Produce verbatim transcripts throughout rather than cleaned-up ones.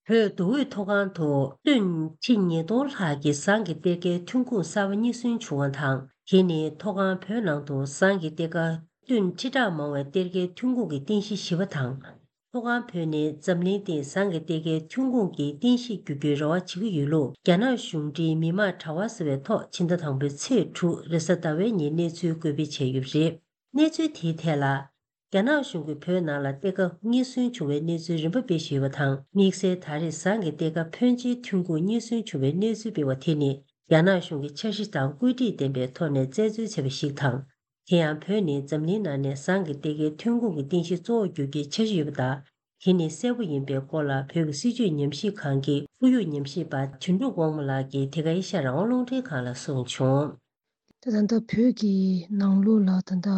བོད་མདོ་དབུས་མཐོ་སྒང་དུ་ཏུན་ཁྲི་ཉིས་སྟོང་ལྷག་གི་ཟངས་ཀྱི་གཏེར་ཁའི་ཐོན་ཁུངས་གསར་པ་རྙེད་སོན་བྱུང་བ་དང་། དེ་ནི་མཐོ་སྒང་བོད་ནང་དུ་ཟངས་ཀྱི་གཏེར་ཁ་ཏུན་ཁྲི་ཕྲག་མང་བའི་གཏེར་ཁའི་ཐོན་ཁུངས་ཀྱི་རྟེན་གཞི་ཞིག་ཡིན་པ་དང་། མཐོ་སྒང་བོད་ནི་འཛམ་གླིང་སྟེང་ཟངས་ཀྱི་གཏེར་ཁའི་ཐོན་ཁུངས་ཀྱི་རྟེན་གཞི་འགྱུར་རྒྱུའི་རེ་བ་བྱེད་ཀྱི་ཡོད་ལུགས། རྒྱ་ནག་གཞུང་འབྲེལ་མི་དམངས་དྲ་བ་ཟེར་བའི་ཐོག་ཕྱི་ཟླ་དང་པོའི་ཚེས་དྲུག་རེས་གཟའ་ཟླ་བའི་ཉིན་གནས་ཚུལ་འགོད་སྤེལ་བྱས་ཡོད་པ་རེད། གནས་ཚུལ་དེའི་ཐད་ལ། རྒྱ་ནག་གཞུང་གིས་བོད་ནང་ལ་གཏེར་ཁ་རྙེད་སོན་བྱུང་བའི་གནས་ཚུལ་རིམ་པ་སྤེལ་བཞིན་ཡོད་པ་དང་། དམིགས་བསལ་ད་རེས་ཟངས་ཀྱི་གཏེར་ཁ་ཕོན་ཆེའི་ཐོན་ཁུངས་རྙེད་སོན་བྱུང་བའི་གནས་ཚུལ་སྤེལ་བ་དེ་ནི། རྒྱ་ནག་གཞུང་གིས་འཆར་གཞི་དང་བཀོད་སྒྲིག་ལྡན་པའི་ཐོག་ནས་རྩད་འཚོལ་བྱས་པ་ཞིག་དང་། དེ་ཡང་བོད་ནི་འཛམ་གླིང་ནང་ནས་ཟངས་ཀྱི་གཏེར་ཁའི་ཐོན་ཁུངས་ཀྱི་རྟེན་གཞི་གཙོ་བོར་འགྱུར་རྒྱུའི་འཆར་གཞི་ཡོད་པ་དང་། དེ་ནི་གསལ་པོ་ཡིན་པའི་སྐོར་ལ། བོད་ཀྱི་སྲིད་བྱུས་ཉམས་ཞིབ་ཁང་གི་ཁོར་ཡུག་ཉམས་ཞིབ་པ་དོན་གྲུབ་དབང་མོ་ལགས་ཀྱིས་དེ་ག་ཨེ་ཤ་ཡ་རང་དབང་རླུང་འཕྲིན་ཁང་ལ་གསུངས་བྱུང་། ད་ད་ལྟ་བོད་ཀྱི་ནང་ལོགས་ལ་ད་ལྟ་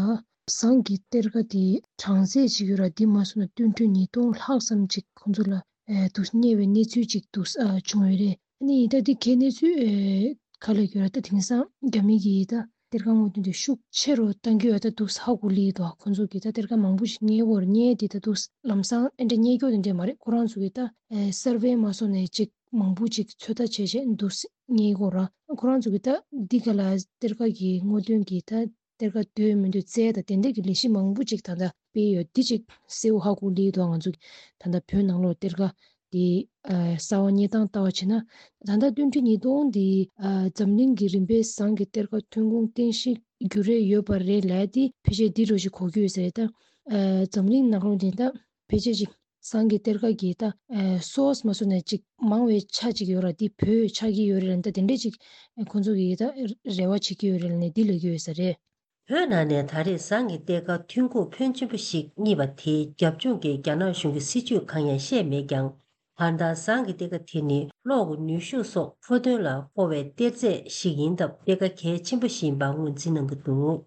ཟངས་ཀྱི་གཏེར་ཁ་དེ་གྲངས་ཚད་ཅིག་ཡོད་ར། འདི་མ་སོང་ན་ཏུན་ཁྲི་ཉིས་སྟོང་ལྷག་ཙམ་ཅིག་ཁོང་ཚོ་ལ་ཨེ་འདུག་རྙེད་པའི་གནས་ཚུལ་ཅིག་འདུག་ཨ་བྱུང་ཡོད་རེད། ཨ་ནི་ད་འདི་གའི་གནས་ཚུལ་ཨེ་ག་ལ་ཡོད་ར། ད་དེང་སང་རྒྱ་མི་གིས་ད་གཏེར་ཁ་སྔོག་འདོན་དེ་ཤུགས་ཆེ་རུ་གཏང་གི་ཡོད། ད་འདུག་ཧ་གོ་ལི་འདུག་ཁོང་ཚོ་གིས་ད་གཏེར་ཁ་མང་པོ་ཞིག་རྙེད་ཡོད་རེད། རྙེད་དེ་ད་འདུག་ལམ་སང་ཨེ་འདྲ་རྙེད་རྒྱུ་དེ་འདྲ་མ་རེད། ཁོ་རང་ཚོ་གིས་ད་ཨེ་སར་ཝེ་མ་སོང་ནས་ཅིག་མང་པོ་ཅིག་ཚོད་ལྟ་བྱས་བྱས་འདུག་སེ་རྙེད་ཀྱི་ཡོད་ར། ཁོ་རང་ཚོ་གིས་ད་འདི་ག་ལ་གཏེར་ཁ་གི་སྔོག་འདོན་གྱི་ད་གཏེར་ཁ་འདོད་མི་འདོད་བཙལ་དང་དེ་འདྲ་གི་ལས་གཞི་མང་པོ་ཅིག་ད་ལྟ་སྤེལ་ཡོད། འདི་ཅིག་གསལ་པོ་ཧ་གོ་ལི་འདུག་ང་ཚོ་གི་ད་ལྟ་བོད་ནང་ལོགས་གཏེར་ཁ་དེ་ཨ་གསར་པ་རྙེད་སྟངས་ལྟ་བ་བྱས་ན། ད་ལྟ་ཏུན་ཁྲི་ཉིས་སྟོང་འདི་ཨ་འཛམ་གླིང་གི་རིམ་པས་ཟངས་ཀྱི་གཏེར་ཁ་ཐོན་ཁུངས་རྟེན་གཞི་འགྱུར་རེ་ཡོད་པ་རེད་ལབ་དེ་ཕལ་ཆེར་འདི་འདྲ་ཞིག་གོ་གི་ཡོད་ས་རེད། ད་ཨ་འཛམ་གླིང་ནང་ལོགས་འདི་ད་ཕལ་ཆེར་ཅིག་ཟངས་ཀྱི་གཏེར་ཁ་གི་ད་ཨ་སོ་སི་མ་སོང་ནས་ཅིག་མང་བའི་ཆ་ཅིག་ཡོད་ར། འདི་བོད་ཆགས་ཀྱི་ཡོད་རེད་ལབ། ད་དེ་འདྲས་ཅིག་ཨ་ཁོང་ཚོ་གིས་ད་རེ་བ་བྱེད་ཀྱི་ཡོད་རེད་ལབ་ནས་འདི་ལབ་ཀྱི་ཡོད་ས་རེད། བོད་ནང་ནས་ད་རེས་ཟངས་ཀྱི་གཏེར་ཁ་ཐོན་ཁུངས་ཕོན་ཆེན་པོ་ཞིག་རྙེད་པ་དེའི་རྒྱབ་ལྗོངས་ཀྱི་རྒྱ་ནག་གཞུང་གི་སྲིད་བྱུས་གང་ཡང་བཤད་མེད་ཀྱང་། གང་ལྟར་ཟངས་ཀྱི་གཏེར་ཁ་དེ་ནི་གློག་གི་ནུས་ཤུགས་སོགས་མཁོ་དོན་ལ་མཁོ་བའི་གཏེར་རྫས་ཤིག་ཡིན་སྟབས། གཏེར་ཁ་གལ་ཆེན་པོ་ཞིག་ཡིན་པ་ངོས་འཛིན་གནང་གི་འདུག་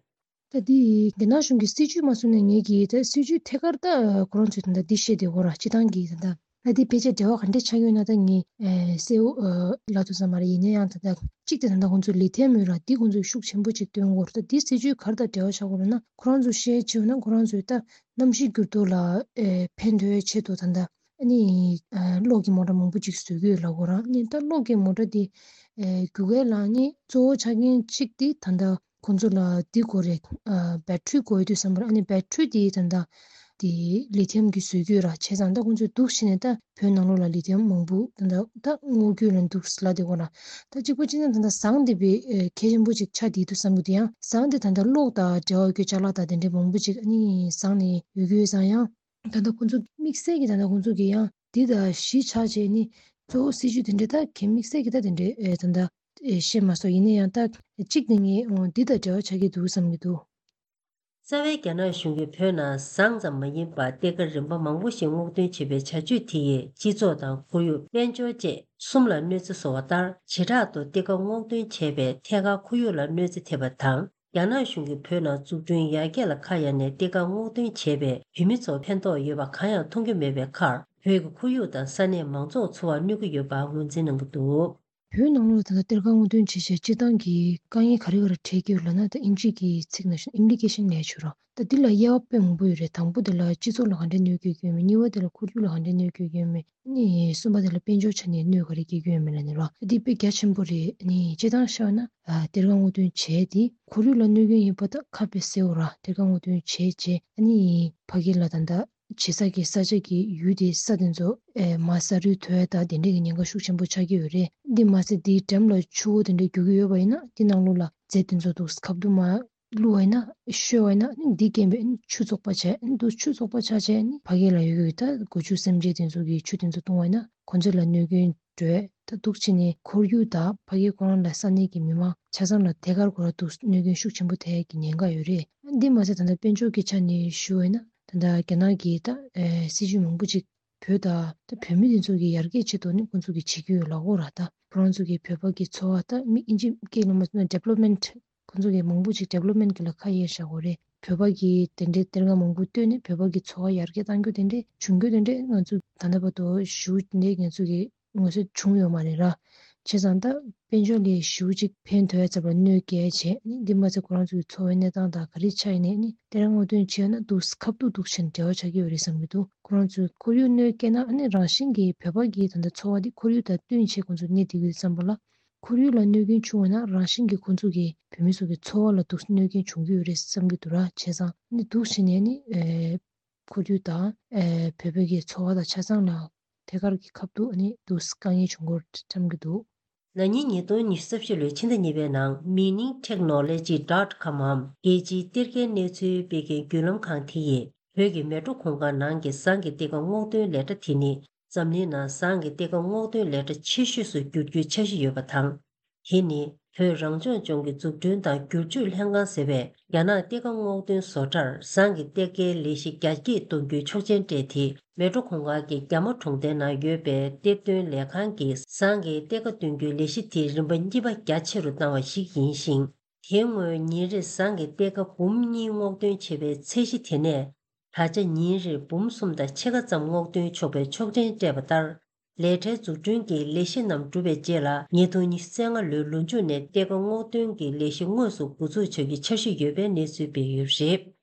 ད་འདི་རྒྱ་ནག་གཞུང་གི་སྲིད་བྱུས་མ་སོང་ནས་ངེད་ཀྱིས་ད་སྲིད་བྱུས་ཐད་ཀར་ད་ཁོ་རང་ཚོས་ད་ལྟ་འདི་བཤད་བསྡད་ཡོད་ར། སྤྱི་བཏང་གི་ད་ལྟ་ད་འདི་ཕལ་ཆེར་འབྲེལ་བ་ག་འདྲས་ཆགས་ཡོད་ན་ད་ངས་ཨེ་གསལ་པོ་ཨེ་ལབ་ཐུབ་ས་མ་རེད། ཡིན་ན་ཡང་ད་ལྟ་གཅིག་དེ་ད་ལྟ་ཁོང་ཚོ་ལི་ཐི་ཡམ་ཡོད་ར། འདི་ཁོང་ཚོས་ཤུགས་ཆེན་པོ་ཅིག་བཏོན་ཡོད་ར། ད་འདི་སྲིད་བྱུས་ག་རེ་དང་འབྲེལ་བ་ཆགས་ཡོད་རེད་ན། ཁོ་རང་ཚོ་བཤད་བྱས་ན་ཁོ་རང་ཚོས་ད་གནམ་གཤིས་འགྱུར་ལྡོག་ལ་ཨེ་ཕན་ཐོགས་ཆེད་དུ་ད་ལྟ་ཨ་ནི་ཨ་གློག་གི་མོ་ཊ་མང་པོ་ཅིག་བཟོ་གི་ཡོད་ལབ་ཡོད་ར། ཨ་ནི་ད་གློག་གི་མོ་ཊ་འདི་ཨེ་རྒྱུ་སྐར་ལ་ཨ་ནི་གཙོ་བོ་ཆགས་མཁན་གཅིག་འདི་ད་ལྟ་ཁོང་ཚོ་ལ་འདི་དགོས་རེད། ཨ་བེ་ཊི་རི་དགོས་ཡོད་དུས་ཙམ་པར། ཨ་ནི་བེ་ཊི་རི་འདི་ད་ལྟ་དེ་ལི་ཐི་ཡམ་གྱིས་བཟོ་གི་ཡོད་ར། བྱས་ཙང་ད་ཁོང་ཚོས་འདུག་བྱས་ནས་ད་བོད་ནང་ལོགས་ལ་ལི་ཐི་ཡམ་མང་པོ་ད་ལྟ་ད་སྔོག་རྒྱུ་ལ་འདུག་ལབ་བསྡད་ཡོད་ར། ད་གཅིག་པ་གཅིག་ན་ད་ལྟ་ཟངས་འདི་དཔེ་ཨེ་གལ་ཆེན་པོ་ཅིག་ཆགས་བསྡད་འདུག་བསམ་གྱི་འདུག་ཡང་ཟངས་འདི་ད་ལྟ་གློག་དང་འབྲེལ་བ་ཡོད་རྒྱུའི་ཅ་ལག་དང་དེ་འདྲའི་མང་པོ་ཅིག་ཨ་ནི་ཟངས་ནས་ཡོད་ཀྱི་ཡོད་ཙང་། ཡང་ད་ལྟ་ཁོང་ཚོ་དམིགས་བསལ་གྱི་ད་ལྟ་ཁོང་ཚོ་གི་ཡང་འདི་དང་གཞི་ཆགས་བྱས་ནི་གཙོ་བོ་སྲིད་ཇུས་དེ་འདྲའི་ད་གལ་དམིགས་བསལ་གྱི་ད་དེ་འདྲའི་ཨེ་ད་ལྟ་ཨེ་བཤད་མ་སོང་། ཡིན་ན་ཡང་ད་གཅིག་ནི་ངས་འོ་འདི་དང་འབྲེལ་བ་ཆགས་ཀྱི་འདུག་བསམ་གྱི་འདུག་རྩ་བའི་རྒྱ་ནག་གཞུང་གིས་བོད་ནང་ཟངས་ཙམ་མ་ཡིན་པར་གཏེར་ཁ་རིམ་པ་མང་པོ་ཞིག་སྔོག་འདོན་བྱེད་པའི་བྱ་སྤྱོད་དེ་ཡིས་སྤྱི་ཚོགས་དང་ཁོར་ཡུག་དཔལ་འབྱོར་བཅས་གསུམ་ལ་གནོད་འཚེ་བཟོ་བ་ལྟར། བྱེ་བྲག་ཏུ་གཏེར་ཁ་སྔོག་འདོན་བྱས་པས་ཐད་ཀར་ཁོར་ཡུག་ལ་གནོད་འཚེ་ཐེབས་པ་དང་། རྒྱ་ནག་གཞུང་གིས་བོད་ནང་འཛུགས་སྐྲུན་ཡར་རྒྱས་ལ་ཁ་གཡར་ནས་གཏེར་ཁ་སྔོག་འདོན་བྱས་པས་བོད་མི་ཚོར་ཕན་ཐོགས་ཡོད་པ་གང་ཡང་མཐོང་རྒྱུ་མེད་པའི་ཁར། བོད་ཀྱི་ཁོར་ཡུག་དང་ས་གནས་མང་ཚོགས་འཚོ་བར་གནོད་ཀྱི་ཡོད་པ་ངོས་འཛིན་གནང་གི་འདུག་བོད་ནང་ལོགས་ད་ལྟ་གཏེར་ཁ་སྔོག་འདོན་བྱེད་བྱེད་སྤྱིར་བཏང་གི་དཀའ་ངལ་ག་རེ་ག་རེ་འཕྲད་ཀྱི་ཡོད་ལབ་ན། ད་ཨིན་ཇི་གི་ཚིག་ནང་བཞིན་ཨིམ་པི་ལི་ཀེ་ཤན་ལབ་ཡ་ཆོག་ར། ད་འདི་ལ་དབྱེ་བ་དཔེ་མང་པོ་ཡོད་རེད། དང་པོ་དེ་ལ་སྤྱི་ཚོགས་ལ་ག་འདྲའི་གནོད་སྐྱེལ་གྱི་ཡོད་མེད། གཉིས་པ་དེ་ལ་ཁོར་ཡུག་ལ་ག་འདྲའི་གནོད་སྐྱེལ་གྱི་ཡོད་མེད། ཨ་ནི་གསུམ་པ་དེ་ལ་དཔལ་འབྱོར་ཆ་ནས་གནོད་ག་རེ་སྐྱེལ་གྱི་ཡོད་མེད་ལབ་ནས་ར། ད་འདི་དཔེ་རྒྱ་ཆེན་པོ་རེད། ཨ་ནི་སྤྱིར་བཏང་བཤད་ན་ཨ་གཏེར་ཁ་སྔོག་འདོན་བྱས་ཏེ་ཁོར་ཡུག་ལ་གནོད་སྐྱོན་ཡིན་པ་ད་ཁ་དཔེ་གསལ་པོ་ར། གཏེར་ཁ་སྔོག་འདོན་བྱས་རྗེས་ཨ་ནི་ཕ་གི་ལ་ད་ལྟ་བྱེད་ས་གི་ས་ཆ་གི་ཡུལ་དེ་ས་དེ་ཚོ་ཨེ་མར་ས་རུད་ཐོན་ཡ་ད་དེ་འདྲས་ཀྱི་ཉེན་ཁ་ཤུགས་ཆེན་པོ་ཆགས་ཀྱི་ཡོད་རེད། འདི་མ་ཟད་དེའི་འགྲམ་ལ་ཆུ་བོ་དེ་འདྲས་རྒྱུག་གི་ཡོད་པ་ཡིན་ན་དེ་ནང་ལོགས་ལ་རྫས་དེ་ཚོ་འདུག་ཁ་བསྡུ་མ་བླུགས་པ་ཡིན་ན་ཤོར་བ་ཡིན་ན་འདི་རྐྱེན་པས་ཆུ་བཙོག་པ་བྱས། འདུག་ཆུ་བཙོག་པ་ཆགས་བྱས་ཕ་གི་ལ་ཡོད་ཡོད་ད་སྒོ་ཕྱུགས་སེམས་ཅན་དེ་ཚོ་གི་ཆུ་དེ་ཚོ་བཏུང་བ་ཡིན་ན་ཁོ་ཚོ་ལ་གནོད་སྐྱོན་འགྲོ་ཡ་ད་འདུག་བྱས་ནས་ཁོར་ཡུག་དང་ཕ་གི་ཁོ་རང་ལ་ས་གནས་ཀྱི་མི་མང་ཆ་ཚང་ལ་ཐད་ཀར་ཁོ་རང་འདུག་གནོད་སྐྱོན་ཤུགས་ཆེན་པོ་ཐེབས་ཀྱི་ཉེན་ཁ་ཡོད་རེད། འདི་མ་ཟད་ད་ལྟ་དཔལ་འབྱོར་གྱི་ཆ་ནས་ཞུ་བ་ཡིན་ན་ད་ལྟ་རྒྱ་ནག་གིས་ད་ཨེ་སྲིད་ཇུས་མང་པོ་ཅིག་བོད་དང་ད་བོད་མི་དེ་ཚོ་གི་ཡར་རྒྱས་ཆེད་དུ་ནི་ཁོང་ཚོ་གིས་བྱེད་ཀྱི་ཡོད་ལབ་ཀྱི་ཡོད་ར། ད་ཁོ་རང་ཚོ་གིས་བོད་པ་གི་འཚོ་བ་ད་མི་ཨིན་ཇི་སྐད་ལ་མ་ཟེར་ན་ཌི་ཝེ་ལོབ་མེན་ཊི་ཁོང་ཚོ་གིས་མང་པོ་ཅིག་ཌི་ཝེ་ལོབ་མེན་ཊི་གི་ལ་ཁ་གཡར་བཞག་ཡོད་རེད། བོད་པ་གིས་དེ་འདྲའི་གཏེར་ཁ་མང་པོ་བཏོན་ནས་བོད་པ་གི་འཚོ་བ་ཡར་རྒྱས་གཏང་རྒྱུ་དེ་འདྲའི་བྱུང་རྒྱུ་དེ་འདྲའི་ང་ཚོ་ད་ལྟ་བར་དུ་ཞུ་འདྲའི་ང་ཚོ་གི་ངོས་སུ་བྱུང་ཡོད་མ་རེད་ར། བྱས་ཙང་ད་དཔལ་འབྱོར་ལ་ཞེ་པོ་ཅིག་ཕན་ཐོགས་ཡ་ཚ་བར་གནོད་སྐྱེལ་བྱས་ནི་འདི་མ་ཚད་ཁོ་རང་ཚོའི་འཚོ་བའི་གནས་སྟངས་དང་ག་རེ་ཆགས་ཡིན་ནའི་ནི་དེ་རང་ངོ་སྟོན་བྱས་ན་འདུག་ཁ་བསྡུ་འདུག་བྱས་ནས་འབྲེལ་བ་ཆགས་ཀྱི་ཡོད་རེད་བསམ་གྱི་འདུག་ཁོ་རང་ཚོའི་ཁོར་ཡུག་གནོད་སྐྱེལ་ན་ཨ་ནི་རང་བཞིན་གྱིས་བོད་པ་གི་ད་ལྟ་འཚོ་བ་འདི་ཁོར་ཡུག་དང་བསྟུན་བྱས་ཁོང་ཚོ་གནས་བསྡད་ཀྱི་ཡོད་བསམ་པ་ལ། ཁོར་ཡུག་ལ་གནོད་སྐྱོན་བྱུང་བ་ན་རང་བཞིན་གྱིས་ཁོང་ཚོ་གི་བོད་མི་ཚོ་གི་འཚོ་བ་ལ་འདུག་གནོད་སྐྱོན་བྱུང་གི་ཡོད་རེད་བསམ་གྱི་འདུག་ར། བྱས་ཙང་ནི་འདུག་བྱས་ནས་ནི་ཨེ་ཁོར་ཡུག་དང་ཨེ་བོད་པའི་གི་འཚོ་བ་དང་ཆ་ཚང་ལ་ཐད་ཀར་གྱི་ཁ་ཐུག་ནི་འདུག་དཀའ་ངལ་བྱུང་གི་ཡོད་བསམ་གྱི་འདུག་ན་ནིང་ཉིས་སྟོང་ཉི་ཤུ་རྩ་བཞི་ལོའི་ཕྱི་ཟླ་གཉིས་པའི་ནང་Mining Technology dot com འམ་རྒྱལ་སྤྱིའི་གཏེར་ཁའི་གནས་ཚུལ་སྤེལ་མཁན་བརྒྱུད་ལམ་ཁང་དེ་ཡིས་བོད་ཀྱི་མལ་གྲོ་གུང་དཀར་ནང་གི་ཟངས་ཀྱི་གཏེར་ཁ་སྔོག་འདོན་ལས་གྲྭ་དེ་ནི་འཛམ་གླིང་ནང་ཟངས་ཀྱི་གཏེར་ཁ་སྔོག་འདོན་ལས་གྲྭ་ཆེ་ཤོས་སུ་འགྱུར་རྒྱུའི་འཆར་གཞི་ཡོད་པ་དང་། དེ་ནི་བོད་རང་སྐྱོང་ལྗོངས་ཀྱི་འཛུགས་སྐྲུན་དང་བསྒྱུར་བཅོས་ལྷན་ཁང་ཟེར་བས་རྒྱ་ནག་གཏེར་ཁ་སྔོག་འདོན་བཟོ་གྲྭར་ཟངས་ཀྱི་གཏེར་ཁའི་ལས་གཞི་རྒྱ་སྐྱེད་གཏོང་རྒྱུའི་ཆོག་མཆན་སྤྲད་དེ། མལ་གྲོ་གུང་དཀར་གྱི་རྒྱ་མོ་གྲོང་རྡལ་ནང་ཡོད་པའི་གཏེར་འདོན་ལས་ཁང་གིས་ཟངས་ཀྱི་གཏེར་ཁ་འདོན་རྒྱུའི་ལས་གཞི་དེ་རིམ་པ་གཉིས་པ་རྒྱ་ཆེ་རུ་བཏང་བ་ཞིག་ཡིན་ཞིང་། དེའི་སྔོན་ཉིན་རེར་ཟངས་ཀྱི་གཏེར་ཁ་འབུམ་གཉིས་སྔོག་འདོན་བྱེད་པའི་ཚད་གཞི་དེ་ནས། ད་ཆ་ཉིན་རེར་འབུམ་གསུམ་དང་ཕྱེད་ཀ་ཙམ་སྔོག་འདོན་ཆོག་པའི་ཆོག་མཆན་སྤྲད་པ་ལྟར། ལས་གྲྭའི་འཛུགས་སྐྲུན་གྱི་ལས་གཞི་རྣམས་གྲུབ་པའི་རྗེས་ལ་ཉིས་སྟོང་ཉི་ཤུ་རྩ་ལྔ་ལོའི་ལོ་མཇུག་ནས་གཏེར་ཁ་སྔོག་འདོན་གྱི་ལས་གཞི་དངོས་སུ་འགོ་འཛུགས་བྱ་རྒྱུའི་འཆར་གཞི་ཡོད་པའི་གནས་ཚུལ་སྤེལ་ཡོད་པ་རེད།